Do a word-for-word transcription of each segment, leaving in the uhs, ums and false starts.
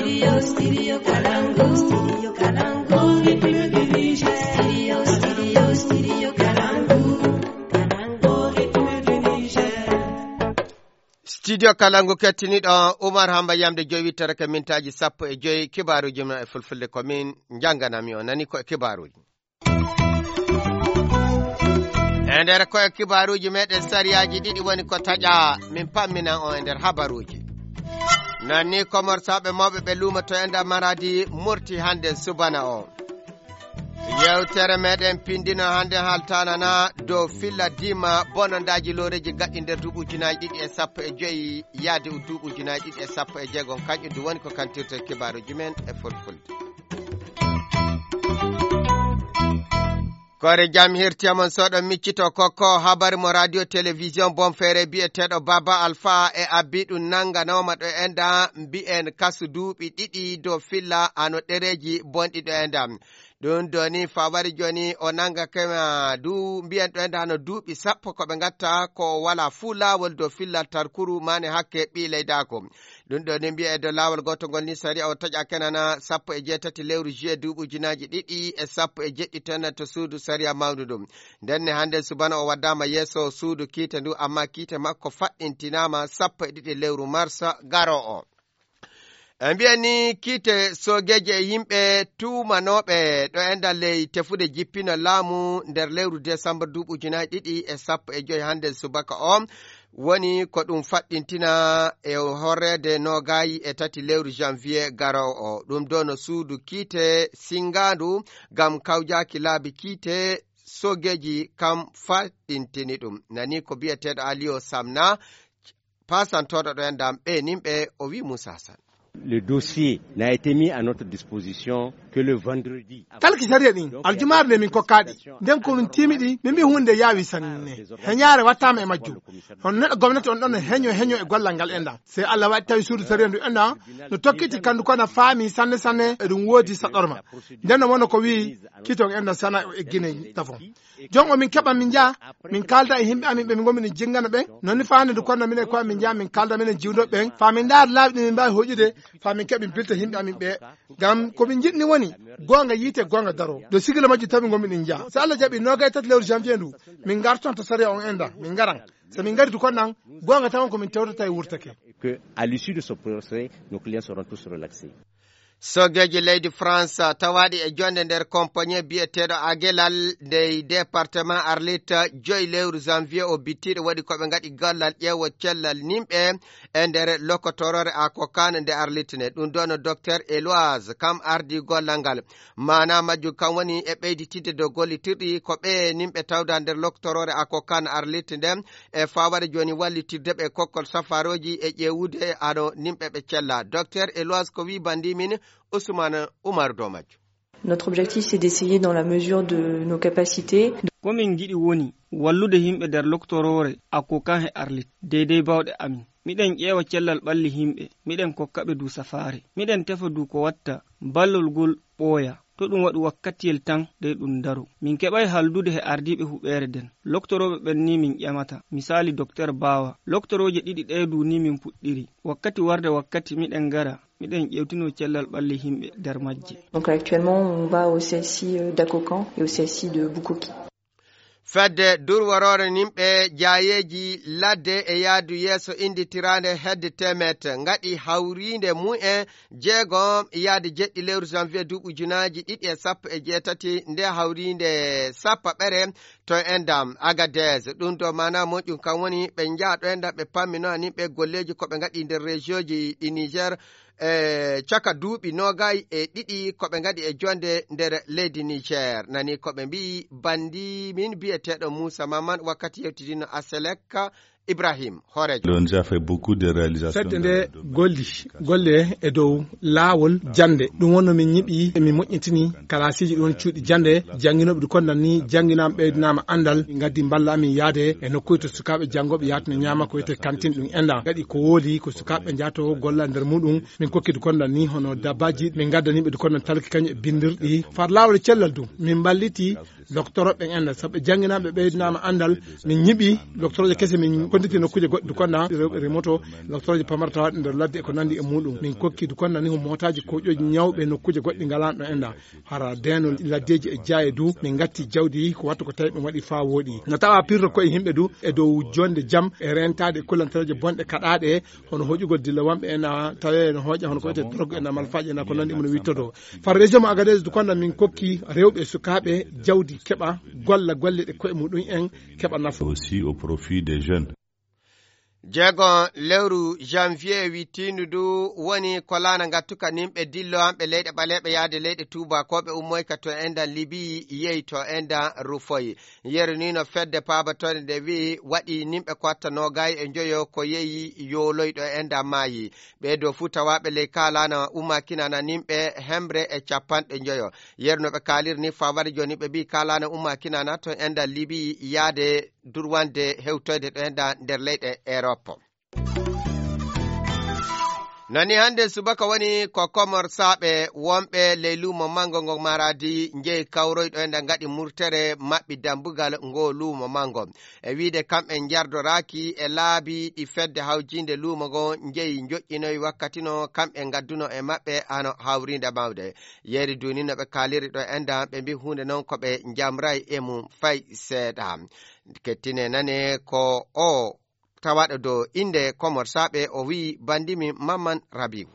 Studio, Studio Kalangu. Studio Kalangu. Studio, Studio, Studio Kalangu. Kalangu, Studio Niger. Studio Kalangu kettiniiɗo Umar Hamba yamde joyi wittere ke mintaaji sappo e joyi, kibaaruuji men e fulfulde ko min njannganami o nani ko e kibaaruuji. E nder ko e kibaaruuji meɗen sariyaaji ɗiɗi woni ko taƴa min pamminan on e nder habaruuji. Non ni komorsaaɓe mawɓe ɓe luumoto e nder Maradi murti hannde subana o. Yewtere meɗen pindino hannde haltanana dow filla dima bonondaaji looreeji gaɗɗi nder duuɓi ujunaaji ɗiɗi e sappo e joyi yaade u duuɓi ujunaaji ɗiɗi e sappo e jeego. Kañƴum du woni ko kantirte kibaaruuji men e fulfulde. Koore jam hirti e mon soɗo miccito kokko habari mo radio télévision bonfeere biyeteeɗo Baba Alpha e abbi ɗum nannganooma ɗo enda mbi'en kasu duuɓi ɗiɗi dow filla hano ɗereeji bonɗi ɗo enda. Ɗum doni fawari joni o nanga kema du mbiyen ɗo enda hano duuɓi sappo ko ɓe ngatta ko wala fuu laawol dow fillal tarkuru mane hakke ɓi leydaako. Ɗum ɗo ni mbiye e dow laawol gootol ngol ni sariya o taƴa kenana sappo e jeetati lewru juillet duuɓi ujunaaji ɗiɗi e sappo e jeɗɗi tan to suudu sariya mawndu ɗum. Nden ne hannde subana o waddama yeeso suudu kiite ndu amma kiite makko faɗɗintinaama sappo e ɗiɗi lewru marsa garo o. E mbiya ni kiite soogeeji e yimɓe tuumanooɓe ɗo e nder ley tefude jippino laamu nder lewru desambur duuɓi ujunaaji ɗiɗi e sappo e joyi hannde subaka o woni ko ɗum faɗɗintina e horreede noogaayi e tati lewru janvier garowo o. Ɗum ɗo no suudu kiite sinngaandu ngam kawjaaki laabi kiite soogeeji kam faɗɗintini ɗum. Nani ko biyeteeɗo Aliyo Samna, paasantooɗo ɗo en dam ɓe nimɓe o wi Moussa Sall. Le dossier n'a été mis à notre disposition que le vendredi. Talki sariya ɗin aljumaare nde min kokkaɗi nden ko min timiɗi min mbi hunde yaawi sanne. Heñaare wattama e majjum. Hono neɗɗo gomnati on ɗon no heño heño e gollal ngal enɗa, sey Allah waɗi tawi suudu sariya ndu enɗa no tokkiti kandu kono faami sanne sanne eɗum woodi saɗɗorma. Nden no wonno ko wi kiton enɗa sana o eggine tafon. Jon o min keɓa min njaha min kalda e yimɓe amin ɓe min gomi ɗum jingana ɓen. Nonni fande ndu konno minen koye min njaha min kalda minen jiwdoɓe ɓen fa min ndaara laawi ɗi min mbawi hoƴude fa min keɓa min pilta yimɓe amin ɓe. Ngam ko min jiɗni woni gonga yiite gonga daro ɗo sigila majji tawi gomi ɗin njaha so Allah jaɓi nogay tati lewru janvier ndu min garton to sariya on enda min ngaran. So min ngari du kon ɗan gonga tawon ko min tewtata e wurtake. Que à l'issue de ce procès nos clients seront tous relaxés. Soogeeji leydi France tawaaɗi e jonde nder compagnie biyeteeɗo Agelal ndey département Arlit joyi lewru janvier o bittiiɗo waɗi ko ɓe ngaɗi gollal ƴeewo cellal nimɓe e nder lokotoroore Akokan nde Arlit nde. Ɗum ɗo no docteur Eloise kam ardi gollal ngal. Maana majjum kam woni e ɓeyditidde dow gollitirɗi ko ɓe nimɓe tawda nder lokotoroore Akokan Arlit nden e fawade jooni wallitirde ɓe kokkol safarooji e ƴeewude hano nimɓe ɓe cella. Docteur Eloise ko wi bandi min Ousmane Oumar dow majjum. Notre objectif, c'est d'essayer dans la mesure de nos capacités. Ko min ngiɗi woni wallude yimɓe nder loktoroore Akokan he Arlit, deydey bawɗe amin. Miɗen ƴeewa cellal ɓalli yimɓe, miɗen kokka ɓe du safaare. Miɗen tefa du ko watta ballol ngol ɓooya. To ɗum waɗu wakkatiyel tan dey ɗum daro. Min keɓay haldude he ardiiɓe huɓeere nden. Loktorooɓe ɓen ni min ƴamata. Misaali Docteur Bawa. Loktorooje ɗiɗi ɗee du ni min puɗɗiri. Wakkati warde wakkati miɗen ngara. Miɗen ƴewtino cellal ɓalli yimɓe nder majje. Donc actuellement, on va au C S I, euh, d'Akokan et au C S I de Bukoki. Fedde durworoore nimɓe jaayeeji ladde e yaadu yeeso innditiraande hedde teemeete ngaɗi hawriinde mumen jeegom yaade jeɗɗi lewru janvier duuɓi ujunaaji ɗiɗi e sappo e jeetati nde hawriinde sappaɓere to endam Agadez. Ɗum ɗo maana moƴƴum kam woni ɓe njaha ɗo endam ɓe pammino anin ɓe golleeji ko ɓe ngaɗi nder région ji ɗi Niger e caka duuɓi noogay e ɗiɗi ko ɓe ngaɗi e jonde nder leydi Niger. Nani ko ɓe mbi'i bandi min bi'eteeɗo Moussa Maman wakkati yewtidino Aselek Ibrahim Horejo. Fedde nde golli golle e dow laawol jannde. Ɗum wonno min ñiɓi, min moƴƴintini kalaasiji ɗum woni cuuɗi jannde. Jannginooɓe ɗi kondan ni jannginaama ɓeydinaama anndal. Min ngaddi mballa amin yaade e nokkuuje to sukaaɓe janngooɓe yahatno ñaama ko wiyetee kantin ɗum enɗan. Gaɗi ko wooli ko sukaaɓe njaato golla nder muɗum. Min kokki ɗi kondan ni hono dabbaji. Min ngaddani ɓe ɗi kondan talki kañum e binndirɗi. Far laawol e cellal du min mballiti. Docteur ɓen enɗan sabu ɓe jannginaama ɓe ɓeydinaama anndal. Min ñiɓi docteurooje kese min Konditi nokkuuje goɗɗe Dukonda, rewɓe remoto, lottorooje pamartawaɗe nder ladde e ko nanndi e muɗum. Min kokki Dukonda ni ko mootaaji koƴooji ñawɓe nokkuuje goɗɗe ngalaano ɗo enda. Hara deeno laddeeji e jaaye du, min ngatti jawdi ko wattu ko tawi ɓe waɗi faa wooɗi. No tawa pirro koye yimɓe du e dow jonde jam e rentaade e kullantareeje bonɗe kaɗaaɗe, hono hoƴugol dilla wonɓe ena tawe no hoƴa hono ko wiyetee drogue ena malfaaji ena ko nanndi mum no wittodo. Far région mo Agadez Dukonda min kokki rewɓe e sukaaɓe jawdi keɓa golla golle ɗe koye muɗum en keɓa nafa. Aussi au profit des jeunes. Jeego lewru janvier wittiindu ndu woni ko laana ngattuka nimɓe dillo an ɓe leyɗe ɓaleeɓe yaade leyɗe tuubakooɓe ummoyka to endan Libi yehi to endan Rufoy. Yeru ni no fedde paabatore nde wi'i waɗi nimɓe ko watta noogay e njoyo ko yehi yooloyɗo endan maayi. Ɓee dow fuu tawaaɓe ley kaa laana umma kinana nimɓe hemre e capanɗe njoyo. Yeru no ɓe kaaliri ni faa wari jooni ɓe mbi'i kaa laana umma kinana to endan Libi yaade durwande hewtoyde ɗo endan nder leyɗe Erop. Nani hannde subaka woni ko Komorsaaɓe wonɓe ley luumo manngo ngo Maradi njehi kawroyɗo e nde ngaɗi murtere maɓɓi dambugal ngo luumo manngo. E wiide kamɓe njardoraaki e laabi ɗi fedde hawjiinde luumo ngo njehi njoƴƴinoyi wakkati no kamɓe ngadduno e maɓɓe hano hawriinde mawde. Yeeri duuni no ɓe kaaliri ɗo enda ɓe mbi huunde noon ko ɓe njamray e mum fay seeɗa. Kettine nane ko o tawaɗo dow innde Komorsaaɓe, o wi'i banndimi Mamman Rabiu.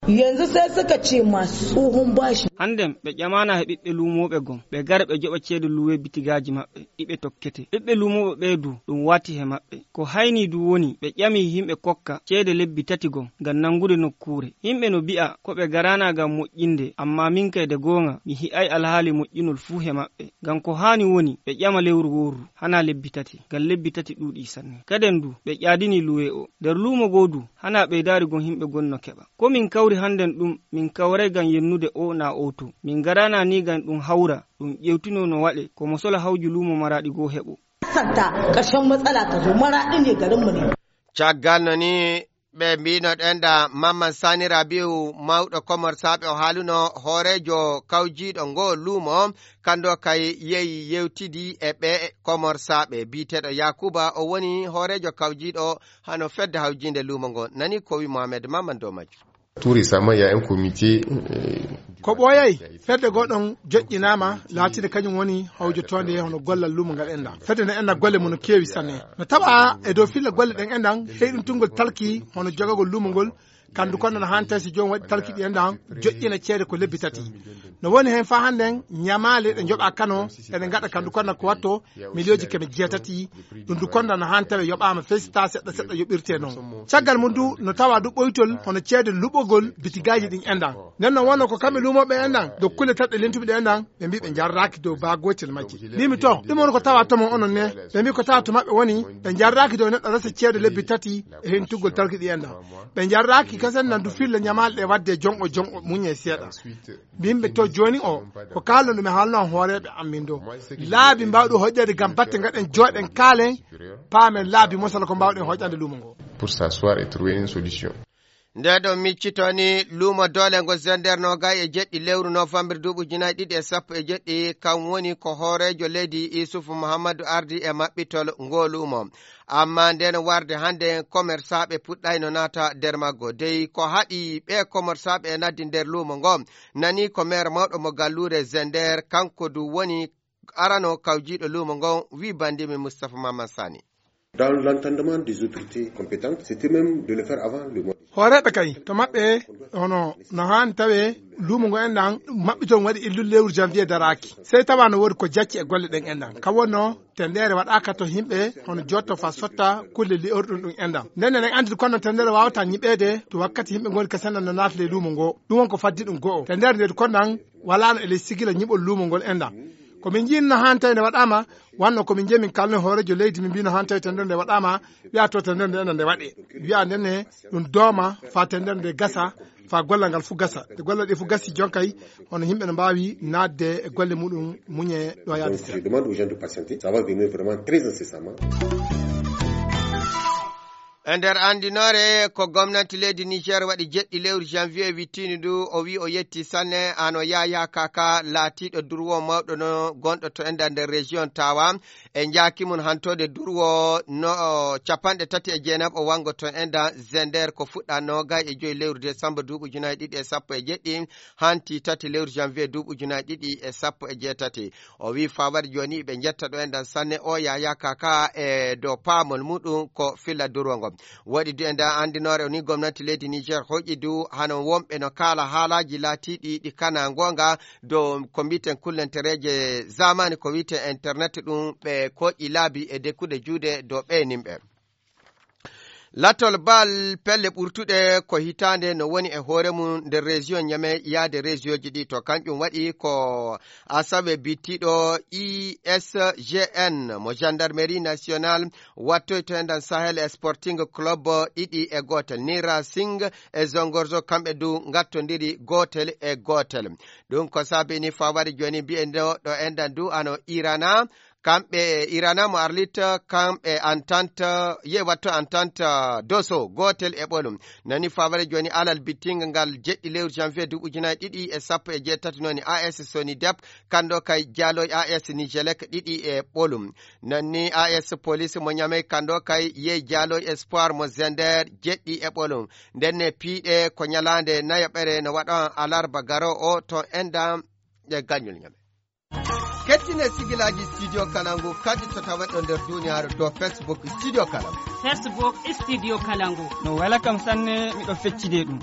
Yanzu sai suka ce masu tsohon bashi. Hannden ɓe ƴamaana he ɓiɓɓe luumooɓe gom, ɓe gara ɓe joɓa ceede luwe bitigaaji maɓɓe, ɗi ɓe tokkete. Ɓiɓɓe luumooɓe ɓee du, ɗum waati he maɓɓe. Ko haynii du woni, ɓe ƴami yimɓe kokka ceede lebbi tati gom ngam nanngude nokkuure. Yimɓe no bi'a ko ɓe garaana ngam moƴƴinde, ammaa min kay de goonga, mi hi'ay alhaali moƴƴinol fuu he maɓɓe. Ngam ko haani woni, ɓe ƴama lewru wooru, hanaa lebbi tati, ngam lebbi tati ɗuuɗii sanne. Kaden du, ɓe ƴaadinii luwe o. Nder luumo goo du, hanaa ɓeydaari gom yimɓe gom no keɓa. Ko min kawri hannden ɗum, min kawray ngam yennude o naa o to. Min ngaraana ni ngam ɗum hawra, ɗum ƴeewtinoo no waɗe, ko mo sola hawju luumo Maraaɗi goo heɓo. Santa, ƙarshen matsala ta zo, Maraaɗi ne garinmu ne. Caggal no ni ɓe mbiino ɗo enda Mamman Sani Rabiu, mawɗo Komorsaaɓe, o haaluno hooreejo kawjiiɗo ngo luumo, kando kay yehi yewtidi e ɓe Komorsaaɓe. Biyeteeɗo Yakuba, o woni hooreejo kawjiiɗo hano fedde hawjiinde luumo ngo. Nani ko wi Mohamed Mamman dow majjum. Tout récemment, il y a un comité, euh, Ko ɓooyay, fedde goo ɗon joƴƴinaama, laatinde kañum woni hawjotoonde hono gollal luumo ngal enɗan. Fedde nde enɗan golle mum no keewi sanne. No tawa e dow filla golle ɗen enɗan, heyɗintungol talki hono jogagol luumo ngol, kandu kono no haani tawi so joom waɗi talki ɗi enɗan, joƴƴina ceede ko lebbi tati. No woni heen faa hannden ñamaale ɗe njoɓaa kano, ene ngaɗa kandu kono ko watto miliyooji keme jeetati, ɗum du kono no haani tawi yoɓaama fey so taa seɗɗa seɗɗa yoɓirtee noon. Caggal mum du no tawa du ɓoytol hono ceede luɓogol bitigaaji ɗin enɗan. Nden no wonno ko kamɓe luumooɓe enɗan, dow kulle tatɗe lentuɓe ɗe enɗan, ɓe mbii ɓe njarraaki dow baa gootel majji. Mbiimi to, ɗum woni ko tawa to mon onon ne? Ɓe mbii ko tawa to maɓɓe woni, ɓe njarraaki dow neɗɗo resa ceede lebbi tati e hentugol talki ɗi enɗan. Ɓe njarraaki kasen nan du filla ñamaale ɗe waɗde jonɗo jonɗo muñe seeɗa. Mbiimi ɓe to jooni o, ko kaalno ɗum e haalno hooreeɓe am min do. Laabi mbaawɗo hoƴƴade ngam batte ngaɗen jooɗen kaalen, paamen laabi mosala ko mbaawɗen hoƴƴande luumo ngo. Pour s'asseoir et trouver une solution. Nde ɗo miccito ni luumo doole ngo Zender noogay e jeɗɗi lewru novembre duuɓi ujunaaji ɗiɗi e sappo e jeɗɗi, kam woni ko hooreejo leydi Isufu Muhammadu ardi e maɓɓitol ngo luumo. Amma nden warde hannde komersaaɓe puɗɗayno naata nder maggo. Dey ko haɗi ɓe komersaaɓe e naddi nder luumo ngo, nani ko meer mawɗo mo galluure Zender, kanko du woni arano kawjiiɗo luumo ngo, wi banndimi Mustapha Mamman Sani. Dans l'entendement des autorités compétentes, c'était même de le faire avant le mois de Hooreeɓe kay, to maɓɓe, hono no haani tawee luumo ngo enɗan maɓɓitol ngo waɗi illude lewru janvier daraaki. Sey tawa no woodi ko jacci e golle ɗen enɗan. Kam wonno, tendeere waɗaaka to yimɓe, hono jotto faa sotta kulle li'orɗum ɗum enɗan. Nden eɗen anndi kono tendeere waawataa ñiɓeede to wakkati yimɓe ngoni kasen no naata ley luumo ngo. Ɗum won ko faddi ɗum go'o. Tendeere nde kono nan walaano e ley sigila ñiɓol luumo ngol enɗan. Ko min njiino no haani tawi nde waɗaama, wanno ko min njehi min kaalno hooreejo leydi, min mbiino haani tawi tendeere nde waɗaama, wi'a to tendeere nde enɗan nde waɗee. Wi'a nden ne ɗum dooma faa tendeere nde gasa, faa gollal ngal fuu gasa. Nde gollal ɗe fuu gasi jonkay, hono yimɓe no mbaawi naatde e golle muɗum muñe ɗo yaade. Donc, je seeɗa. Demande aux gens de patienter. Ça va venir vraiment très incessamment. E nder anndinoore ko gomnanti leydi Niger waɗi jeɗɗi lewru janvier wittiini ndu, o wi o yetti sanne hano Yaya Kaka laatiiɗo durwo mawɗo no gonɗo to enda nder région Tawa. E njaaki mum hantode durwo no capanɗe tati e jeenaɓo wango to enda Zender ko fuɗɗa noogay e joyi lewru décembre duuɓi ujunaaji ɗiɗi e sappo e jeɗɗi, hanti tati lewru janvier duuɓi ujunaaji ɗiɗi e sappo e jeetati. O wi fawade jooni ɓe jetta ɗo e nder sanne o Yaya Kaka e dow paamol muɗum ko filla durwo ngo. Waɗi du e nder anndinoore ni gomnati leydi Niger hoƴi du hano wonɓe no kaala haalaaji laatiiɗi ɗi kana ngoonga dow ko mbiten kullentereeje zamani ko wiyte internet ɗum ɓe koƴi laabi e dekkude juuɗe dow ɓe nimɓe. Lattol bal pelle ɓurtuɗe ko hitaande no woni e hoore mum nder région Niamey yaade région ji ɗi to kanƴum waɗi ko asawe bittiɗo I S G N mo gendarmerie nationale wattoyto e nder Sahel e Sporting Club ɗiɗi e gootel. Ni Racing e Zongorzo kamɓe du ngattondiri gootel e gootel. Ɗum ko sabini fawade jooni mbiyen ɗo ɗo enɗan du ano Irana. Kamɓe Irana mo Arlit, kamɓe Entente, ye watto Entente Doso, gootel e ɓolum. Nani fawade jooni alal bittinga ngal jeɗɗi lewru janvier duuɓi ujunaaji ɗiɗi e sappo e jeetati nooni A S Sonidep, kando kay Jaloy A S Nijelek ɗiɗi e ɓolum. Nani A S Police mo Ñamey kando kay ye Jaloy Espoir mo Zender jeɗɗi e ɓolum. Ndenne piiɗe ko ñalaande nayaɓere no waɗa alarba garo o to enɗan e gañol Ñamey. Kettine sigilaaji Studio Kalangu kadi to taweɗo nder duniyaaru dow Facebook Studio Kalangu. Facebook Studio Kalangu. No wela kam sanne, miɗo feccide ɗum.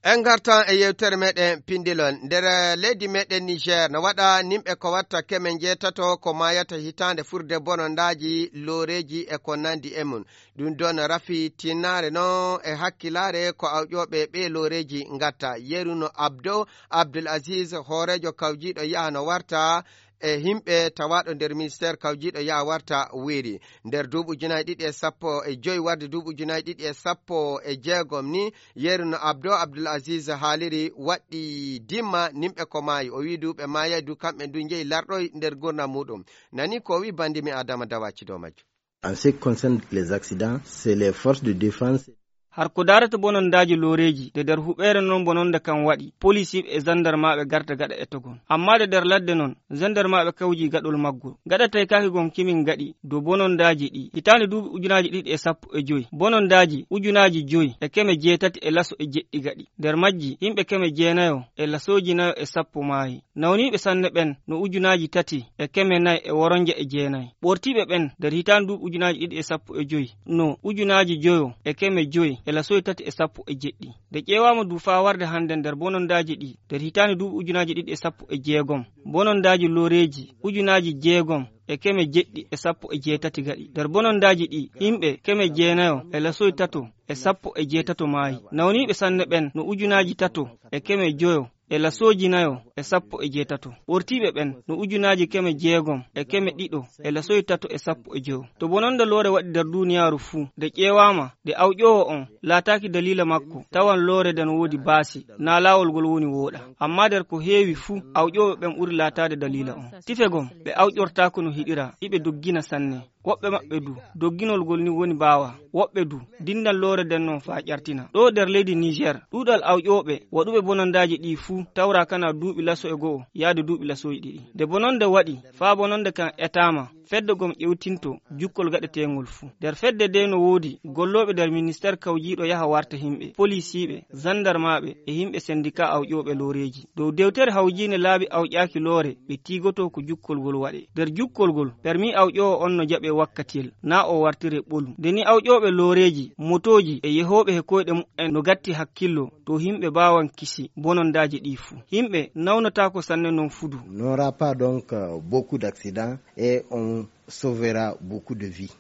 En ngartan e yewtere meɗen pindilol. Nder leydi meɗen Niger, no waɗa nimɓe ko watta keme njeetato ko maayata hitaande furde bonondaaji, looreeji e ko nandi e mum. Ɗum ɗon rafi tinnaare non e hakkilaare ko awƴooɓe ɓee looreeji ngatta. Yeru no Abdo Abdul Aziz, hooreejo kawjiiɗo yaha no warta e himɓe tawaaɗo nder ministeer kawjiiɗo yaha warta weeri. Nder duuɓi ujunaaji ɗiɗi e sappo e joy warde duuɓi ujunaaji ɗiɗi e sappo e jeegom ni, yeru no Abdo Abdul Aziz haaliri waɗɗi dimma nimɓe ko maayi. O wii du ɓe maayay du kamɓe du njeyi larɗoy nder gurdam muɗum. Nani ko o wii bandi mi Adama Dawaci dow majjum. En ce qui concerne les accidents, c'est les forces de défense. Har ko daarata bonondaaji looreeji, de nder huɓeere non bononda kan waɗi, polisiiɓe e zandarmaaɓe garta gaɗa etogol. Amma de nder ladde non, zandarmaaɓe kawji gaɗol maggol. Gaɗa taykaaki gon kimin gaɗi, dow bonondaaji ɗi. Hitaande duuɓi ujunaaji ɗiɗi e sappo e joy, bonondaaji ujunaaji joy e keme jeetati e laso e jeɗɗi gaɗi. Nder majji, yimɓe keme jeenayo e lasooji nayo e sappo maayi. Nawniiɓe sanne ɓen no ujunaaji tati e keme nayi e woronja e jeenayi. Ɓortiiɓe ɓen nder hitaande duuɓi ujunaaji ɗiɗi e sappo e joy no ujunaaji joyo e keme joy e lasoyi tati e sappo e jeɗɗi. Nde ƴeewaama du faa warde hannde nder bonondaaji ɗi nder hitaande duuɓi ujunaaji ɗiɗi e sappo e jeegom, bonondaaji looreeji ujunaaji jeegom e keme jeɗɗi e sappo e jeetati gaɗi. Nder bonondaaji ɗi, yimɓe keme jeenayo e lasoyi tato e sappo e jeetato maayi. Nawniiɓe sanne ɓen no ujunaaji tato e keme joyo e lasooji nayo e sappo e jeetato. Ɓortiiɓe ɓen no ujunaaji keme jeegom e keme ɗiɗo e lasoyi tato e sappo e joyo. To bononda loore waɗi nder duuniyaaru fuu, nde ƴeewaama, nde awƴoowo on laataaki daliila makko, tawan loore nden woodi baasi, naa laawol ngol woni wooɗa. Ammaa nder ko heewi fuu, awƴooɓe ɓen ɓuri laataade daliila on. Tife gom, ɓe awƴortaako no hiɗira, iɓe doggina sanne. Woɓɓe maɓɓe du, dogginol ngol ni woni mbaawa. Woɓɓe du, dindan loore nden non faa ƴartina. Ɗoo nder leydi Niger, ɗuuɗal awƴooɓe waɗuɓe bonondaaji ɗii fuu tawraa kana duuɓi laso e go'o yaade duuɓi lasoyi ɗiɗi. Nde bononda waɗi, faa bononda kan etaama, fedde gom ƴewtinto jukkol gaɗeteengol fuu. Nder fedde ndee no woodi gollooɓe nder ministeer kawjiiɗo yaha warta himɓe, polisiiɓe, zandarmaaɓe e himɓe sendikaa awƴooɓe looreeji. Dow dewtere hawjiinde laabi awƴaaki loore, ɓe tiigotoo ko jukkol ngol waɗee. Nder jukkol ngol, permi awƴoowo on no jaɓee wakkatiyel, naa o wartiree ɓolum. Nde ni awƴooɓe looreeji, motooji e yehooɓe he koyɗe muɓɓen no gatti hakkillo, to himɓe mbaawan kisi bonondaaji ɗii fuu. Himɓe nawnotaako sanne non fudu. N'aura pas donc euh, beaucoup d'accidents et on sauvera beaucoup de vies.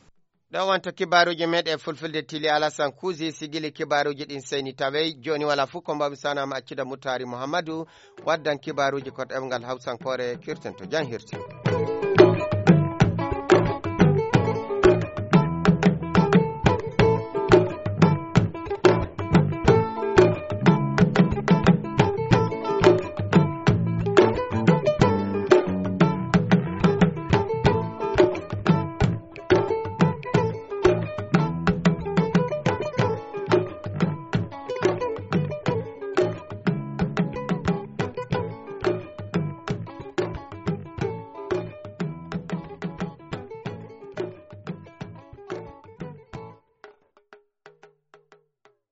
Ɗo wonto kibaaruuji meɗen fulfulde Tili Alasan Kuusi sigili kibaaruuji ɗin seyni tawey. Jooni wala fuu ko mbawmi sanaama accida Mutaari Muhammadu waddan kibaaruuji ko ɗemngal Hawsankoore kirten to jam hirti.